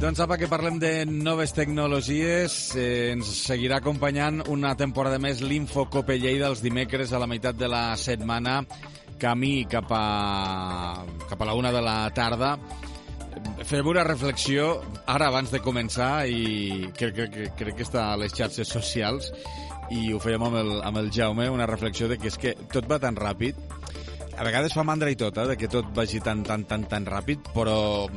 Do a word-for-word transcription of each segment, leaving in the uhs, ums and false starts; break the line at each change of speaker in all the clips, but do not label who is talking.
Doncs apa, que parlem de noves tecnologies. Eh, ens seguirà acompanyant una temporada més l'Infocope Lleida els dimecres a la meitat de la setmana, camí cap a, cap a la una de la tarda. Fem una reflexió ara abans de començar i crec, crec, crec que està a les xarxes socials i ho fèiem amb el, amb el Jaume, una reflexió de que és que tot va tan ràpid. A vegades fa mandra i tot, eh, de que tot vagi tan, tan, tan, tan ràpid, però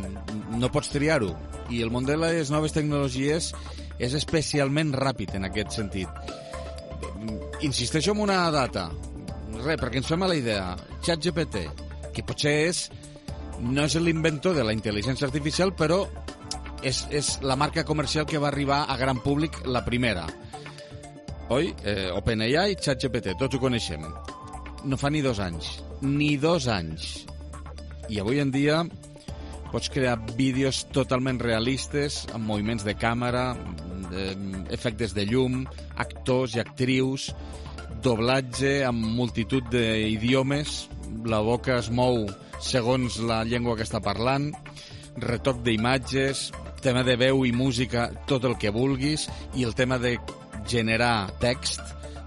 no pots triar-ho. I el món de les noves tecnologies és especialment ràpid en aquest sentit. Insisteixo en una data. Res, perquè ens fem a la idea. ChatGPT, que potser és, no és l'inventor de la intel·ligència artificial, però és, és la marca comercial que va arribar a gran públic la primera. Oi? Eh, OpenAI, ChatGPT, tots ho coneixem. No fa ni dos anys. Ni dos anys. I avui en dia pots crear vídeos totalment realistes, amb moviments de càmera, eh, efectes de llum, actors i actrius, doblatge amb multitud d'idiomes, la boca es mou segons la llengua que està parlant, retoc d'imatges, tema de veu i música, tot el que vulguis, i el tema de generar text.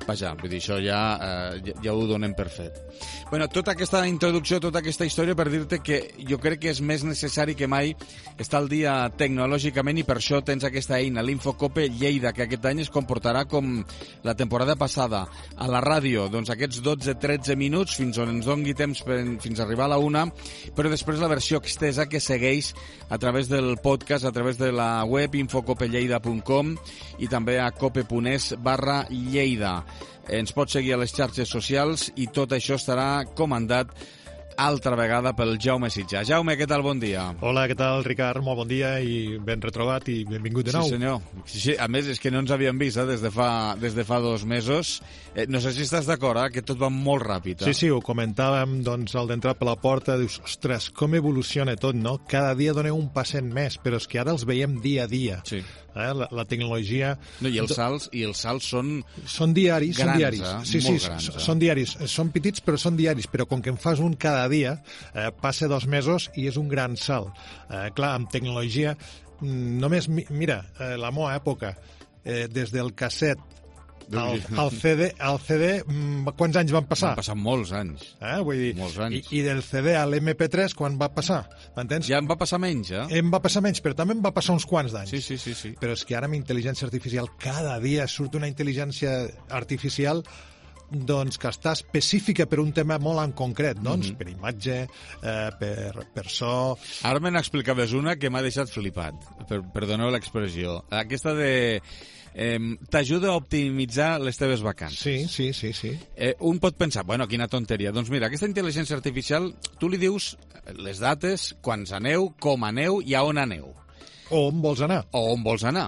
Vaja, vull dir, això ja, eh, ja ho donem per fet. Bueno, tota aquesta introducció, tota aquesta història per dir-te que jo crec que és més necessari que mai estar al dia tecnològicament i per això tens aquesta eina, l'Infocope Lleida, que aquest any es comportarà com la temporada passada. A la ràdio, doncs aquests dotze tretze minuts fins on ens dongui temps per, fins a arribar a la una, però després la versió extesa que segueix a través del podcast, a través de la web infocopelleida punt com i també a cope.es barra Lleida. Ens pots seguir a les xarxes socials i tot això estarà comandat altra vegada pel Jaume Sitjà. Jaume, què tal? Bon dia.
Hola, què tal, Ricard? Molt bon dia i ben retrobat i benvingut de nou.
Sí, senyor. Sí, sí. A més, és que no ens havíem vist eh, des, de fa, des de fa dos mesos. Eh, no sé si estàs d'acord, eh, que tot va molt ràpid. Eh?
Sí, sí, ho comentàvem doncs, al d'entrar per la porta. Dius, ostres, com evoluciona tot, no? Cada dia doneu un passet més, però és que ara els veiem dia a dia.
Sí.
Eh? La, la tecnologia...
No, i els salts, i els salts són...
Són diaris,
grans,
són diaris.
Eh?
Sí,
molt
sí,
grans, eh?
són diaris. Són petits, però són diaris. Però com que en fas un cada dia, eh, passa dos mesos i és un gran salt. Eh, clar, amb tecnologia, només, mira, eh, la meva època, eh, des del casset al, al C D, al C D, quants anys van passar?
Van passar molts anys.
Eh? Vull dir,
molts anys.
I, I del C D a l'M P tres, quan va passar? M'entens?
Ja em va passar menys, eh?
Em va passar menys, però també em va passar uns quants d'anys.
Sí, sí, sí, sí.
Però és que ara amb intel·ligència artificial, cada dia surt una intel·ligència artificial doncs, que està específica per un tema molt en concret, doncs, mm-hmm. per imatge, eh, per, per so...
Ara me n'explicaves una que m'ha deixat flipat, per, perdoneu l'expressió. Aquesta de... Eh, t'ajuda a optimitzar les teves vacances.
Sí, sí, sí, sí.
Eh, un pot pensar, bueno, quina tonteria. Doncs mira, aquesta intel·ligència artificial, tu li dius les dates, quants aneu, com aneu i a on aneu.
O on vols anar.
O on vols anar,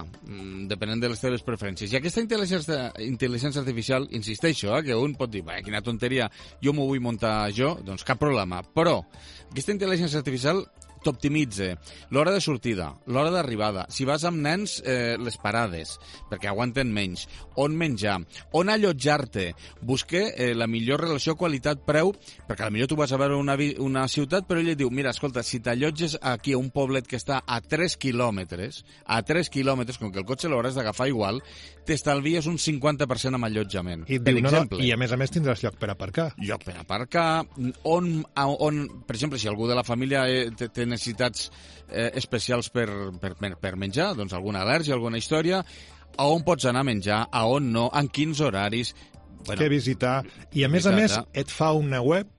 depenent de les teves preferències. I aquesta intel·ligència, intel·ligència artificial, insisteixo, eh, que un pot dir, quina tonteria, jo m'ho vull muntar jo, doncs cap problema. Però aquesta intel·ligència artificial t'optimitza l'hora de sortida, l'hora d'arribada, si vas amb nens, eh, les parades, perquè aguanten menys, on menjar, on allotjar-te, busca eh, la millor relació qualitat-preu, perquè potser tu vas a veure una, una ciutat, però ell et diu, mira, escolta, si t'allotges aquí a un poblet que està a tres quilòmetres, a tres quilòmetres, com que el cotxe l'hauràs d'agafar igual, t'estalvies un cinquanta per cent amb allotjament.
I, per diu, exemple. No, no, I a més a més tindràs lloc per aparcar.
Lloc per aparcar, on, on per exemple, si algú de la família té necessitats eh, especials per, per, per menjar, doncs alguna al·lèrgia, alguna història, a on pots anar a menjar, a on no, en quins horaris...
Bueno, què visitar. I a més a més et fa una web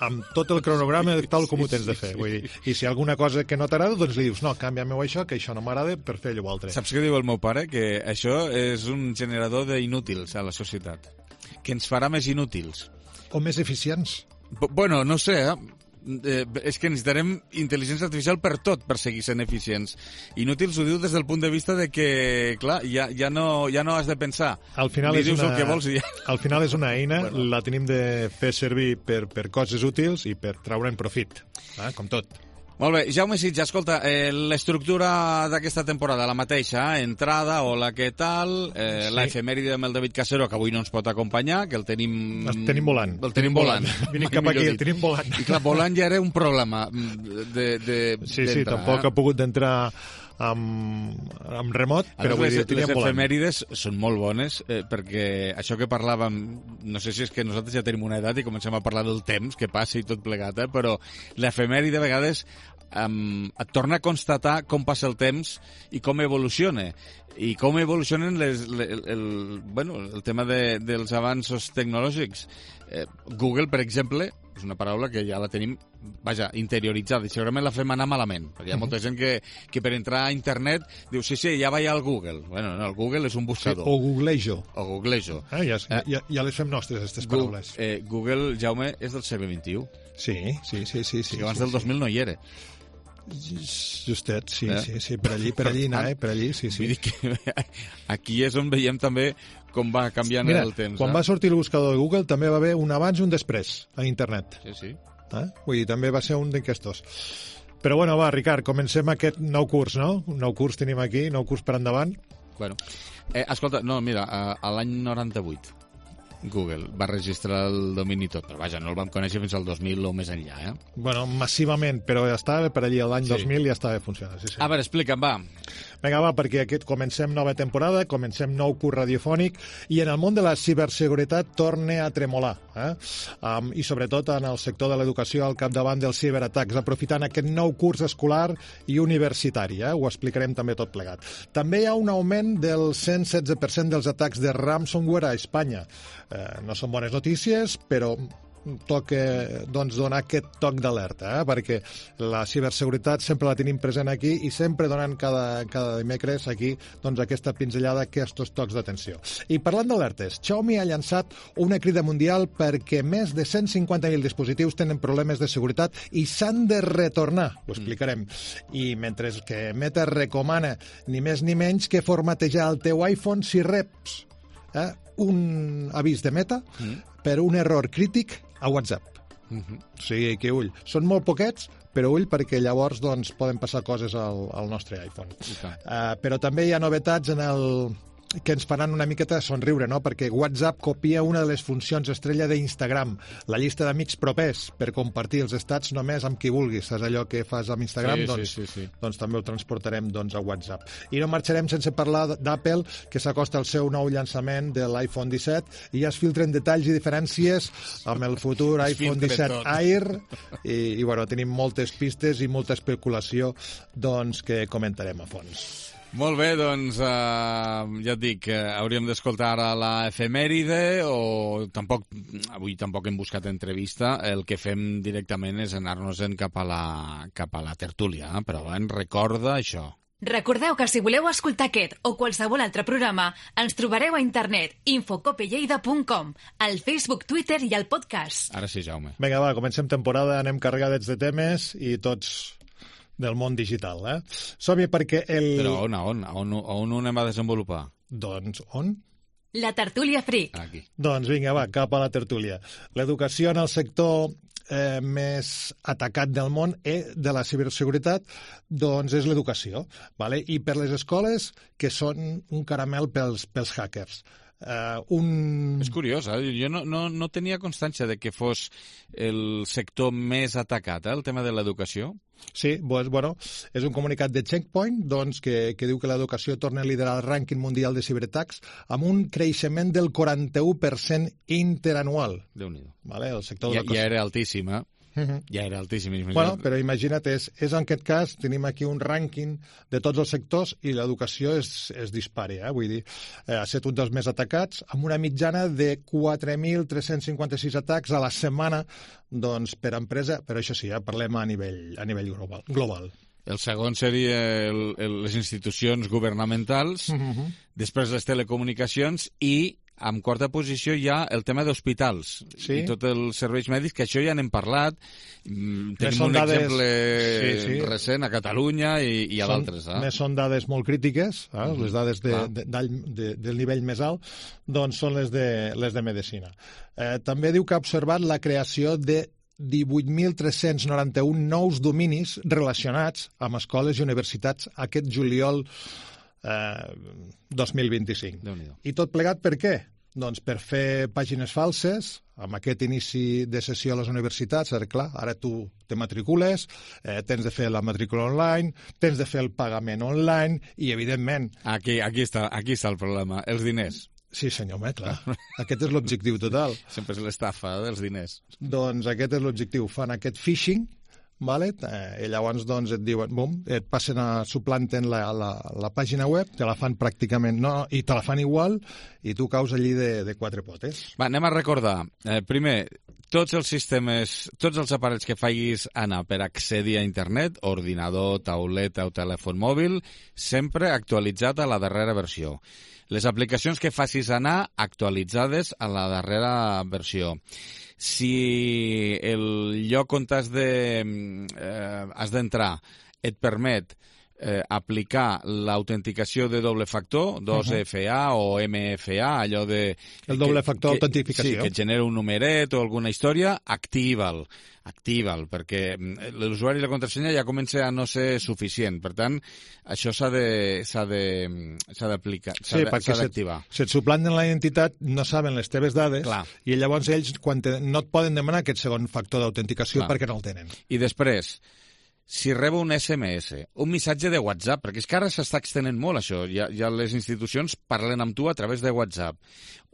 amb tot el cronograma tal com ho tens de fer. Vull dir, i si hi ha alguna cosa que no t'agrada, doncs li dius, no, canvia-m'ho això, que això no m'agrada, per fer allò altre.
Saps què diu el meu pare? Que això és un generador d'inútils a la societat. Que ens farà més inútils.
O més eficients.
B- bueno, no sé, eh? Eh, és que necessitarem intel·ligència artificial per tot, per seguir sent eficients. Inútils ho diu des del punt de vista de que, clar, ja, ja, no, ja no has de pensar.
Al final, és una,
el que vols i ja...
al final és una eina, bueno. La tenim de fer servir per, per coses útils i per traure'n profit, eh? Com tot.
Molt bé, Jaume Sitjà, escolta, eh, l'estructura d'aquesta temporada, la mateixa, eh? Entrada, hola, què tal, eh, sí. La efemèride amb el David Casero, que avui no ens pot acompanyar, que el tenim...
El tenim volant.
El tenim volant.
Vine cap aquí, el tenim volant.
I clar, volant ja era un problema de, de,
sí, sí, tampoc
eh?
ha pogut d'entrar amb, amb remot, però vull
les,
dir, ho
les
teníem volant.
efemèrides són molt bones, eh, perquè això que parlàvem, no sé si és que nosaltres ja tenim una edat i comencem a parlar del temps que passa i tot plegat, eh, però l'efemèride a vegades um, et torna a constatar com passa el temps i com evoluciona. I com evolucionen les, el, el, bueno, el tema de, dels avanços tecnològics. Eh, Google, per exemple, és una paraula que ja la tenim, vaja, interioritzada, i segurament la fem anar malament, perquè hi ha molta gent que, que per entrar a internet diu, sí, sí, ja vaig al Google. Bueno, no, el Google és un buscador.
Sí, o googlejo.
O googlejo.
Eh, ja,
eh,
ja, ja les fem nostres, aquestes paraules.
Google, eh, Google, Jaume, és del segle vint-i-u.
Sí, sí, sí. sí, sí
que abans
sí,
del dos mil
sí.
no hi era.
Justet, sí,
Eh?
sí, sí, per allí, per allí anar, eh, per allí, sí, sí.
Vull dir que aquí és on veiem també com va canviant
Mira,
el temps.
quan
eh?
va sortir el buscador de Google també va haver un abans i un després a internet.
Sí, sí.
Eh? Vull dir, també va ser un d'aquestos. Però bueno, va, Ricard, comencem aquest nou curs, no? Un nou curs tenim aquí, nou curs per endavant.
Bueno, eh, escolta, no, mira, a, a l'any noranta-vuit Google va registrar el domini tot, però vaja, no el vam conèixer fins al dos mil o més enllà, eh?
Bueno, massivament, però ja estava per allí l'any
Sí.
dos mil ja estava funcionant. Sí, sí.
A veure, explica'm, va.
Vinga, va, perquè aquest comencem nova temporada, comencem nou curs radiofònic i en el món de la ciberseguretat torna a tremolar, eh? Um, i sobretot en el sector de l'educació al capdavant dels ciberatacs, aprofitant aquest nou curs escolar i universitari, eh? Ho explicarem també tot plegat. També hi ha un augment del cent setze per cent dels atacs de ransomware a Espanya. Eh, no són bones notícies, però toca doncs, donar aquest toc d'alerta, eh? Perquè la ciberseguretat sempre la tenim present aquí i sempre donant cada, cada dimecres aquí doncs, aquesta pinzellada, aquests tocs d'atenció. I parlant d'alertes, Xiaomi ha llançat una crida mundial perquè més de cent cinquanta mil dispositius tenen problemes de seguretat i s'han de retornar, ho explicarem. I mentre que Meta recomana ni més ni menys que formatejar el teu iPhone si reps eh, un avís de Meta mm. per un error crític a WhatsApp.
Uh-huh.
O sigui que, ull, són molt poquets, però ull, perquè llavors doncs, poden passar coses al, al nostre iPhone. Uh, però també hi ha novetats en el que ens faran una miqueta somriure, no? Perquè WhatsApp copia una de les funcions estrella d'Instagram, la llista d'amics propers, per compartir els estats només amb qui vulguis. És allò que fas amb Instagram,
sí,
doncs,
sí, sí, sí.
doncs també ho transportarem doncs, a WhatsApp. I no marxarem sense parlar d'Apple, que s'acosta al seu nou llançament de l'iPhone disset i ja es filtren detalls i diferències amb el futur iPhone disset
tot.
Air i, i bueno, tenim moltes pistes i molta especulació doncs, que comentarem a fons.
Molt bé, doncs, eh, ja et dic, eh, hauríem d'escoltar ara la efemèride o tampoc, avui tampoc hem buscat entrevista, el que fem directament és anar-nos-en cap a la, cap a la tertúlia, eh? Però en recorda això.
Recordeu que si voleu escoltar aquest o qualsevol altre programa, ens trobareu a internet infocopelleida punt com, al Facebook, Twitter i al podcast.
Ara sí, Jaume.
Vinga, va, comencem temporada, anem carregats de temes i tots del món digital, eh? Som-hi perquè el...
Però on, on, on, on ho anem a desenvolupar?
Doncs on?
La tertúlia Freak.
Aquí.
Doncs vinga, va, cap a la tertúlia. L'educació en el sector eh, més atacat del món eh, de la ciberseguretat doncs és l'educació, vale? I per les escoles, que són un caramel pels, pels hackers. Uh, un...
És curiós, eh? Jo no, no, no tenia constància de que fos el sector més atacat, eh? El tema de l'educació.
Sí, doncs, bueno, és un comunicat de Checkpoint doncs, que, que diu que l'educació torna a liderar el rànquing mundial de ciberatacs amb un creixement del quaranta-u per cent interanual.
Déu-n'hi-do.
Vale? El sector de
Ja, ja era altíssim, eh?
Uh-huh.
Ja era altíssim.
Bueno, però imagina't, és, és en aquest cas, tenim aquí un rànquing de tots els sectors i l'educació és, és dispari, eh? Vull dir, eh, ha estat un dels més atacats, amb una mitjana de quatre mil tres-cents cinquanta-sis atacs a la setmana doncs, per empresa, però això sí, eh, parlem a nivell, a nivell global. global.
El segon seria el, el, les institucions governamentals,
Uh-huh.
després les telecomunicacions i en quarta posició hi ha el tema d'hospitals
sí?
i tots els serveis mèdics, que això ja n'hem parlat. Mm, Tenim
són
un
dades...
exemple
sí, sí.
recent a Catalunya i, i a
Són-
d'altres. Eh?
Més són dades molt crítiques, eh?
Mhm.
Les dades de,
Clar.
de, de, de, del nivell més alt, doncs són les de, les de medicina. Eh, també diu que ha observat la creació de divuit mil tres-cents noranta-un nous dominis relacionats amb escoles i universitats aquest juliol eh, dos mil vint-i-cinc.
Déu-n'hi-do.
I tot plegat per què? doncs, per fer pàgines falses, amb aquest inici de sessió a les universitats, ara, clar, ara tu te matricules, eh, tens de fer la matrícula online, tens de fer el pagament online i, evidentment...
Aquí, aquí, està, aquí està el problema, els diners.
Sí, senyor, home, clar. Aquest és l'objectiu total.
Sempre és l'estafa dels diners.
Doncs aquest és l'objectiu. Fan aquest phishing, vale? eh, i llavors doncs, et diuen, bum, et passen a suplanten la, la, la pàgina web, te la fan pràcticament, no, i te la fan igual, i tu caus allí de, de quatre potes.
Va, anem a recordar. Eh, primer, tots els sistemes, tots els aparells que facis anar per accedir a internet, ordinador, tauleta o telèfon mòbil, sempre actualitzat a la darrera versió. Les aplicacions que facis anar actualitzades a la darrera versió. Si el lloc on has de, eh, has d'entrar et permet eh, aplicar l'autenticació de doble factor, dos F A o M F A, allò de...
El doble factor d'autentificació.
Sí, que et genera un numeret o alguna història, activa'l, activa'l, perquè l'usuari i la contrasenya ja comença a no ser suficient. Per tant, això s'ha de, s'ha de, s'ha d'aplicar, s'ha
sí,
de,
perquè
s'ha d'activar.
Si et suplanten la identitat, no saben les teves dades.
Clar.
I llavors ells quan te, no et poden demanar aquest segon factor d'autenticació perquè no el tenen.
I després, si rebo un S M S, un missatge de WhatsApp, perquè és que ara s'està extenent molt això, ja, ja les institucions parlen amb tu a través de WhatsApp,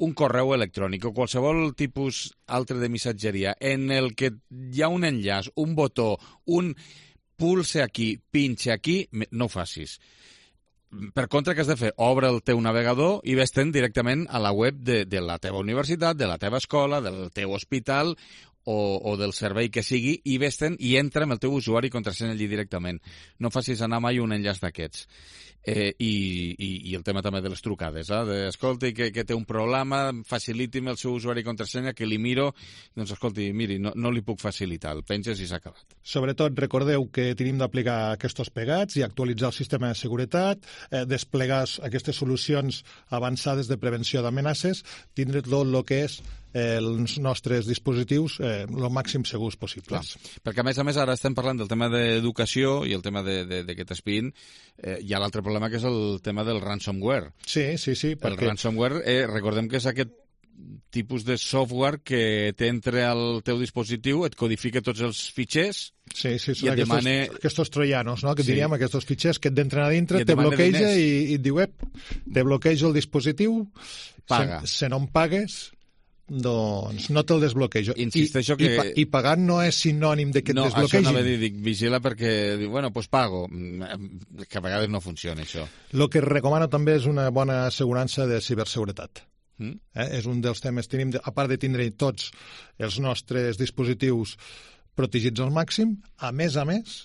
un correu electrònic o qualsevol tipus altre de missatgeria en el que hi ha un enllaç, un botó, un pulse aquí, pinche aquí, no ho facis. Per contra, què has de fer? Obre el teu navegador i ves-te'n directament a la web de, de la teva universitat, de la teva escola, del teu hospital o, o del servei que sigui, i ves-te'n i entra amb el teu usuari i contrasenya allí directament. No facis anar mai un enllaç d'aquests. Eh, i, i, I el tema també de les trucades, eh? De, escolti, que, que té un problema, faciliti'm el seu usuari i contrasenya, que li miro, doncs escolti, miri, no, no li puc facilitar, el penges i s'ha acabat.
Sobretot recordeu que tenim d'aplicar aquests pegats i actualitzar el sistema de seguretat, eh, desplegar aquestes solucions avançades de prevenció d'amenaces, tindre tot el que és eh, els nostres dispositius eh, el màxim segurs possibles.
Clar. Perquè a més a més ara estem parlant del tema d'educació i el tema de, de, de que t'espien, eh, hi ha l'altre problema que és el tema del ransomware.
Sí, sí, sí.
Perquè... El ransomware, eh, recordem que és aquest tipus de software que t'entra al teu dispositiu, et codifica tots els fitxers.
Sí, sí, són
i
aquests,
demane...
aquests troianos, no? Que
sí.
diríem, aquests fitxers que et d'entren a dintre, te bloqueja i, i et diu, ep, te bloqueja el dispositiu,
paga.
Se, se no em pagues, doncs no te'l desbloquejo.
Insisteixo
I,
que...
I, i pagar no és sinònim de que
no,
et desbloquegin.
No, això anava a dir, dic, vigila perquè, bueno, doncs pago. Que a vegades no funciona, això.
El que recomano també és una bona assegurança de ciberseguretat.
Mm?
Eh? És un dels temes. Tenim, de, a part de tindre tots els nostres dispositius protegits al màxim, a més a més,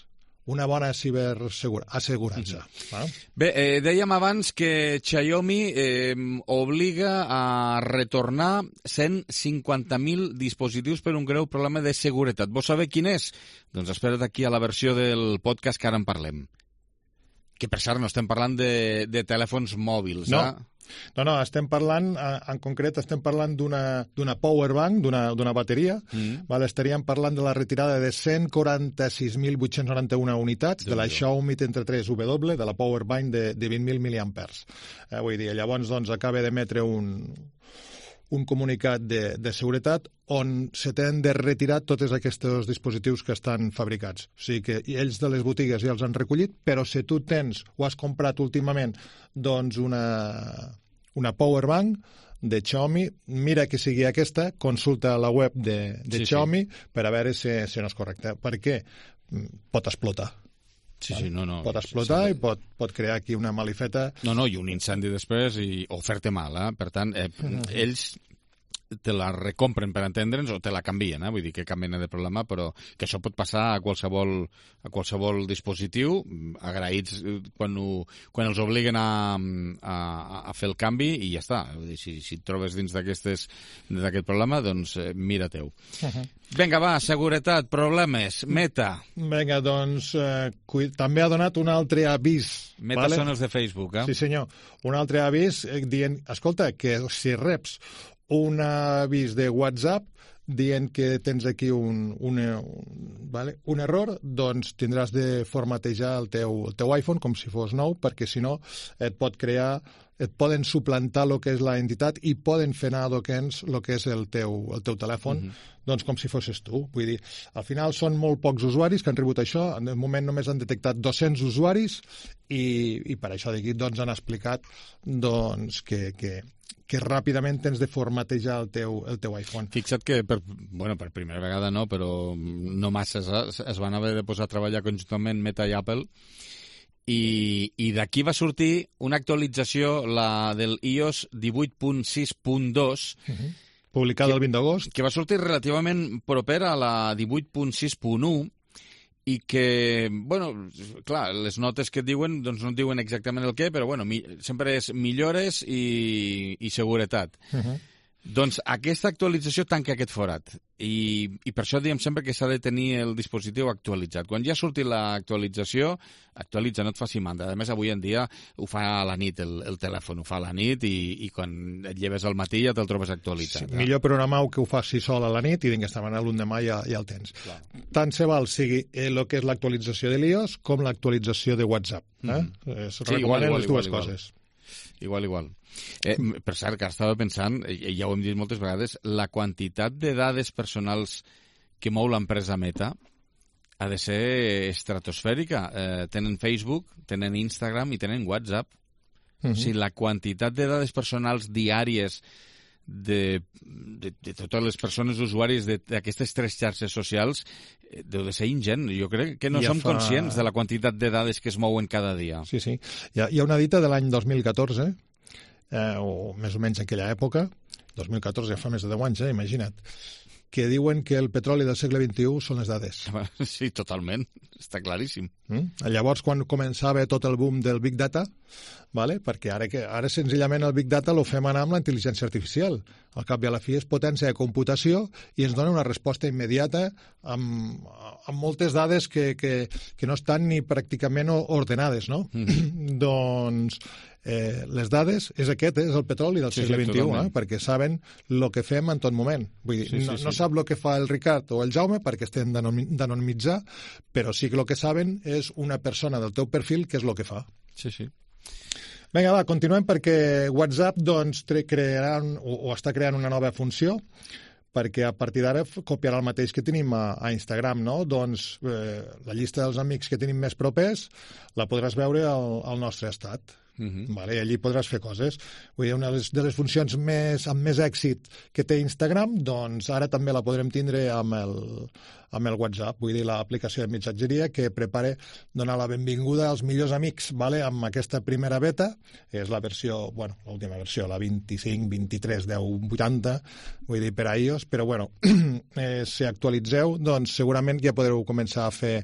una bona ciberassegurança. Mm-hmm. eh?
Bé, eh, dèiem abans que Xiaomi eh, obliga a retornar cent cinquanta mil dispositius per un greu problema de seguretat. Vols saber quin és? Doncs espera't aquí a la versió del podcast que ara en parlem. Que, per cert, no estem parlant de, de telèfons mòbils,
no.
eh?
No, no, estem parlant, en concret, estem parlant d'una power bank, d'una bateria. Mm. Vale, estaríem parlant de la retirada de cent quaranta-sis mil vuit-cents noranta-u unitats de la Xiaomi trenta tres W, de la power bank de, de vint mil miliampers. Eh, vull dir, llavors doncs, acaba d'emetre un, un comunicat de, de seguretat on se tenen de retirar tots aquests dispositius que estan fabricats. O sigui que ells de les botigues ja els han recollit, però si tu tens o has comprat últimament doncs una, una power bank de Xiaomi, mira que sigui aquesta, consulta la web de, de sí, Xiaomi sí. per a veure si, si no és correcte. Perquè pot explotar.
Sí, sí, no, no.
Pot explotar sí, sí. i pot, pot crear aquí una malifeta.
No, no, i un incendi després i, o fer-te mal, eh? Per tant, eh, mm-hmm. ells te la recompren, per entendre'ns, o te la canvien, eh? Vull dir que cap mena de problema, però que això pot passar a qualsevol, a qualsevol dispositiu, agraïts quan, ho, quan els obliguen a, a, a fer el canvi i ja està. Vull dir, si, si et trobes dins d'aquest problema, doncs eh, mira teu. Uh-huh. Vinga, va, seguretat, problemes, Meta.
Vinga, doncs eh, també ha donat un altre avís.
Meta vale? Són els de Facebook, eh?
Sí, senyor. Un altre avís eh, dient, escolta, que si reps un avís de WhatsApp dient que tens aquí un, un, un, vale? un error, doncs tindràs de formatejar el teu, el teu iPhone com si fos nou, perquè si no et pot crear et poden suplantar el que és la entitat i poden fer anar a Dokens el que és el teu, el teu telèfon, mm-hmm. doncs com si fossis tu. Vull dir, al final són molt pocs usuaris que han rebut això, en el moment només han detectat dos-cents usuaris i, i per això d'aquí doncs, han explicat doncs, que, que, que ràpidament tens de formatejar el teu, el teu iPhone.
Fixa't que, per, bueno, per primera vegada no, però no massa es, es van haver de posar a treballar conjuntament Meta i Apple i, i d'aquí va sortir una actualització, la del i o essa divuit punt sis punt dos,
uh-huh. publicada el vint d'agost,
que va sortir relativament propera a la divuit punt sis punt u i que, bueno, clar, les notes que et diuen doncs no et diuen exactament el què, però bueno, mi, sempre és millores i, i seguretat. Uh-huh. Doncs aquesta actualització tanca aquest forat i, i per això diem sempre que s'ha de tenir el dispositiu actualitzat. Quan ja surti l'actualització, actualitza, no et faci mandra. A més, avui en dia ho fa a la nit, el, el telèfon ho fa a la nit i, i quan et lleves al matí ja te'l trobes actualitzat.
Sí, millor programar-ho que ho faci sol a la nit i d'aquesta manera l'endemà ja, ja el tens. Clar. Tant se val sigui el que és l'actualització de l'i o essa com l'actualització de WhatsApp. Eh? Mm-hmm. Es sí, recomanen igual, les dues igual, coses.
Igual, igual. Eh, per cert, que estava pensant, i ja ho hem dit moltes vegades, la quantitat de dades personals que mou l'empresa Meta ha de ser estratosfèrica. Eh, tenen Facebook, tenen Instagram i tenen WhatsApp. Uh-huh. O sigui, la quantitat de dades personals diàries de, de, de totes les persones usuaris d'aquestes tres xarxes socials eh, deu de ser ingent. Jo crec que no ja som fa... conscients de la quantitat de dades que es mouen cada dia.
Sí, sí. Hi ha, hi ha una dita de l'any dos mil catorze, eh, o més o menys en aquella època, dos mil catorze ja fa més de deu anys, eh, imagina't, que diuen que el petroli del segle vint-i-u són les dades.
Sí, totalment. Està claríssim.
Mm? Llavors, quan començava tot el boom del Big Data, vale? perquè ara, que, ara senzillament el Big Data lo fem anar amb la intel·ligència artificial. Al cap i a la fi és potència de computació i ens dona una resposta immediata amb, amb moltes dades que, que, que no estan ni pràcticament ordenades, no? Mm. Doncs eh, les dades és aquest, eh? És el petroli del sí, segle sí, vint-i-u, eh? perquè saben el que fem en tot moment. Vull dir, sí, sí, no, sí. no sap el que fa el Ricard o el Jaume perquè estem d'anonimitzar, però sí que el que saben és una persona del teu perfil que és el que fa.
Sí, sí.
Vinga, va, continuem perquè WhatsApp doncs, crearà o, o està creant una nova funció perquè a partir d'ara copiarà el mateix que tenim a, a Instagram, no? Doncs eh, la llista dels amics que tenim més propers la podràs veure al, al nostre estat. Uh-huh. Vale, i allí podràs fer coses. Vull dir, una de les, de les funcions més, amb més èxit que té Instagram, doncs ara també la podrem tindre amb el, amb el WhatsApp. Vull dir, l'aplicació de missatgeria que prepara donar la benvinguda als millors amics, vale? Amb aquesta primera beta, és la versió, bueno, l'última versió, la vint-i-cinc, vint-i-tres, deu, vuitanta, vull dir, per a iOS, però bueno, eh, si actualitzeu, doncs segurament ja podreu començar a fer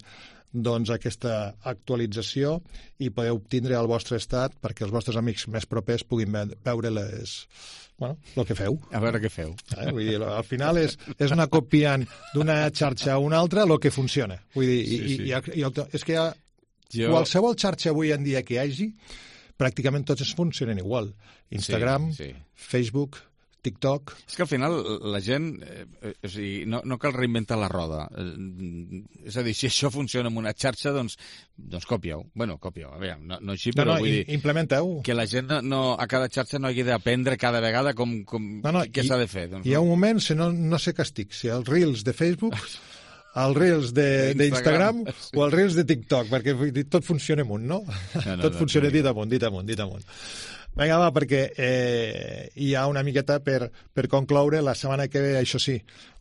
doncs aquesta actualització i podeu obtindre el vostre estat perquè els vostres amics més propers puguin veure les, bueno, el que feu.
A veure què feu.
Eh? Vull dir, al final és, és anar copiant d'una xarxa a una altra el que funciona. Vull dir, sí, i, sí. I, i, i, és que hi ha jo... qualsevol xarxa avui en dia que hi hagi, pràcticament tots funcionen igual. Instagram, sí, sí. Facebook, TikTok...
És que al final la gent, eh, o sigui, no, no cal reinventar la roda. Eh, és a dir, si això funciona en una xarxa, doncs, doncs còpia-ho. Bueno, còpia-ho, a veure, no, no així, però
no, no,
vull dir...
Implementeu.
Que la gent no, a cada xarxa no hagi d'aprendre cada vegada com, com, no, no, què s'ha de fer. Doncs,
hi ha un moment, si no, no sé què estic, si els Reels de Facebook... els Reels d'Instagram o els Reels de TikTok, perquè tot funciona amunt, no? no, no tot funciona no, dit amunt, dit amunt, dit amunt. Vinga, va, perquè eh, hi ha una miqueta per, per concloure. La setmana que ve, això sí,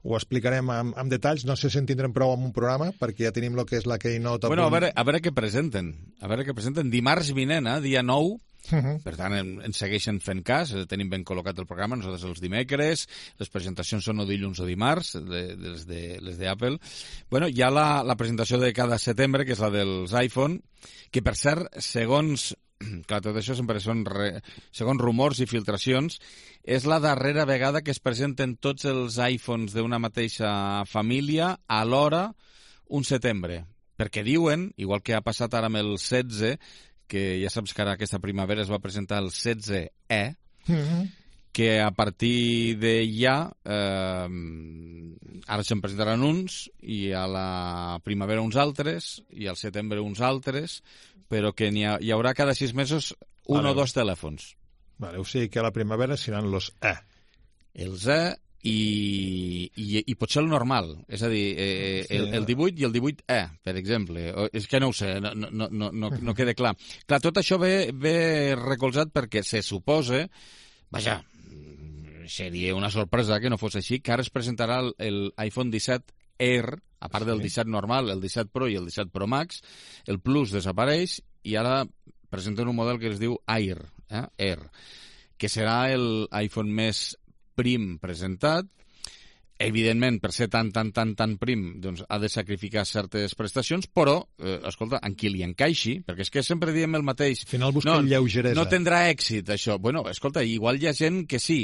ho explicarem amb, amb detalls. No sé si en tindrem prou amb un programa, perquè ja tenim el que és la Keynote.
Bueno, a veure, a veure què presenten. A veure què presenten. Dimarts vinent, eh, dia nou, uh-huh. Per tant, ens segueixen fent cas, tenim ben col·locat el programa, nosaltres els dimecres, les presentacions són o dilluns o dimarts, de, de, les, de, les d'Apple. Bueno, hi ha la, la presentació de cada setembre, que és la dels iPhone, que per cert, segons... Clar, tot això sempre són, re, segons rumors i filtracions, és la darrera vegada que es presenten tots els iPhones d'una mateixa família alhora un setembre. Perquè diuen, igual que ha passat ara amb el setze, que ja saps que ara aquesta primavera es va presentar el setze E, mm-hmm. que a partir de ja eh, ara se'n presentaran uns i a la primavera uns altres i al setembre uns altres, però que hi, ha, hi haurà cada sis mesos un vale. o dos telèfons.
Vale, o sigui que a la primavera seran els E.
Els E i, i, i potser el normal, és a dir, eh, el, el divuit i el divuit E, per exemple. És que no ho sé, no, no, no, no, no queda clar. Clar, tot això ve, ve recolzat perquè se suposa, vaja, seria una sorpresa que no fos així, que ara es presentarà el, el iPhone disset Air, a part del disset normal, el disset Pro i el disset Pro Max, el Plus desapareix i ara presenten un model que es diu Air, eh? Air, que serà el iPhone més prim presentat. Evidentment, per ser tan, tan, tan, tan prim, doncs ha de sacrificar certes prestacions, però, eh, escolta, en qui li encaixi, perquè és que sempre diem el mateix.
Al final busca
no,
lleugeresa.
No tindrà èxit, això. Bueno, escolta, igual hi ha gent que sí.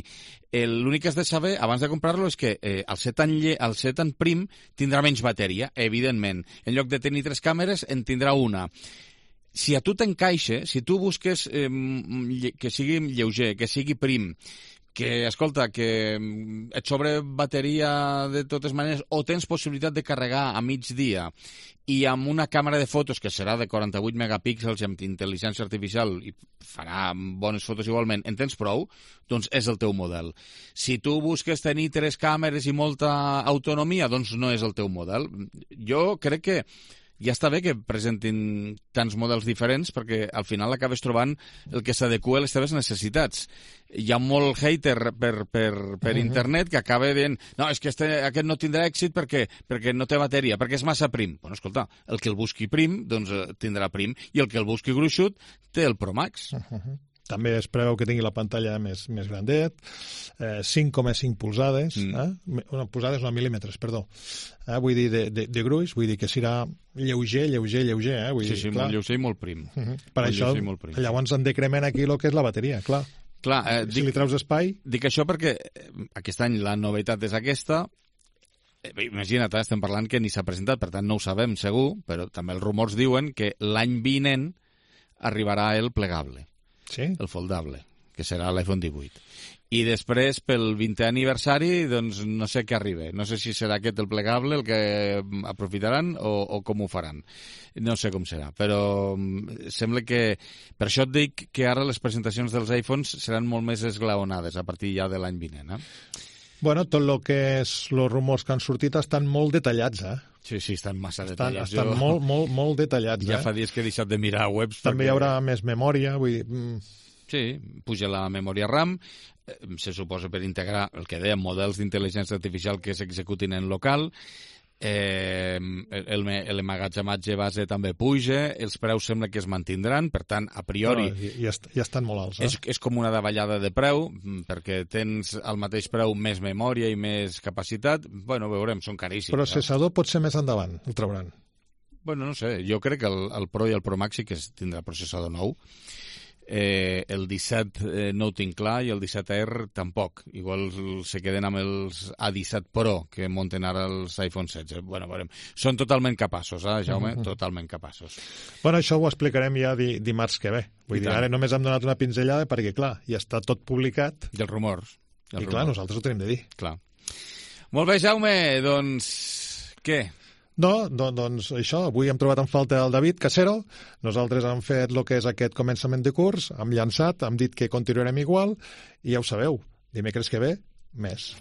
L'únic que has de saber, abans de comprar-lo, és que eh, al, ser tan lle al ser tan prim tindrà menys bateria, evidentment. En lloc de tenir tres càmeres, en tindrà una. Si a tu t'encaixa, si tu busques eh, que sigui lleuger, que sigui prim, que, escolta, que et sobre bateria de totes maneres o tens possibilitat de carregar a migdia i amb una càmera de fotos que serà de quaranta-vuit megapíxels i amb intel·ligència artificial i farà bones fotos igualment, en tens prou, doncs és el teu model. Si tu busques tenir tres càmeres i molta autonomia, doncs no és el teu model. Jo crec que ja està bé que presentin tants models diferents perquè al final acabes trobant el que s'adequa a les teves necessitats. Hi ha molt hater per, per, per uh-huh. internet que acaba dient no, és que este, aquest no tindrà èxit perquè, perquè no té bateria, perquè és massa prim. Bueno, escolta, el que el busqui prim, doncs tindrà prim, i el que el busqui gruixut té el Pro Max.
Uh-huh. També es preveu que tingui la pantalla més, més grandet, eh, cinc coma cinc polzades, mm. eh? Una polzades, no, mil·límetres, perdó. Eh? Vull dir, de, de, de gruix, vull dir que serà lleuger, lleuger, lleuger. Eh? Vull
sí,
dir,
sí,
clar.
molt lleuger i molt prim.
Uh -huh. Per
molt
això, llavors en decrement aquí el que és la bateria, clar.
clar eh,
si
dic,
li treus espai...
Dic això perquè aquest any la novetat és aquesta. Imagina't, eh? estem parlant que ni s'ha presentat, per tant no ho sabem segur, però també els rumors diuen que l'any vinent arribarà el plegable.
Sí?
El foldable, que serà l'iPhone divuit. I després, pel vintè aniversari, doncs no sé què arriba. No sé si serà aquest el plegable el que aprofitaran o, o com ho faran. No sé com serà, però sembla que... Per això et dic que ara les presentacions dels iPhones seran molt més esglaonades a partir ja de l'any vinent, eh?
Bueno, tot el que és els rumors que han sortit estan molt detallats, eh?
Sí, sí, estan massa
estan,
detallats.
Estan jo... molt, molt, molt detallats,
ja
eh?
fa dies que he deixat de mirar webs.
També
perquè...
hi haurà més memòria, vull dir... Mm.
Sí, puja la memòria RAM, eh, se suposa per integrar el que dèiem, models d'intel·ligència artificial que s'executin en local, eh, l'emmagatzematge base també puja, els preus sembla que es mantindran, per tant, a priori...
No, ja, ja estan molt alts, eh?
És, és com una davallada de preu, perquè tens al mateix preu més memòria i més capacitat. Bueno, veurem, són caríssims.
Processador eh? pot ser més endavant, el trauran.
Bueno, no sé, jo crec que el, el Pro i el Pro Max sí que tindrà processador nou. Eh, el disset eh, no ho tinc clar i el disset Air tampoc. Igual se queden amb els A disset Pro que munten ara els iPhone setze. Bueno, veurem. Són totalment capaços, eh, Jaume? Uh-huh. Totalment capaços.
Bueno, això ho explicarem ja di dimarts que ve. Vull I dir, tant. Ara només hem donat una pinzellada perquè, clar, ja està tot publicat.
I els rumors.
I, rumors. clar, nosaltres ho tenim de dir.
Clar. Molt bé, Jaume, doncs... Què?
No, do, doncs això, avui hem trobat en falta el David Casero, nosaltres hem fet el que és aquest començament de curs, hem llançat, hem dit que continuarem igual, i ja ho sabeu, dimecres que ve, més.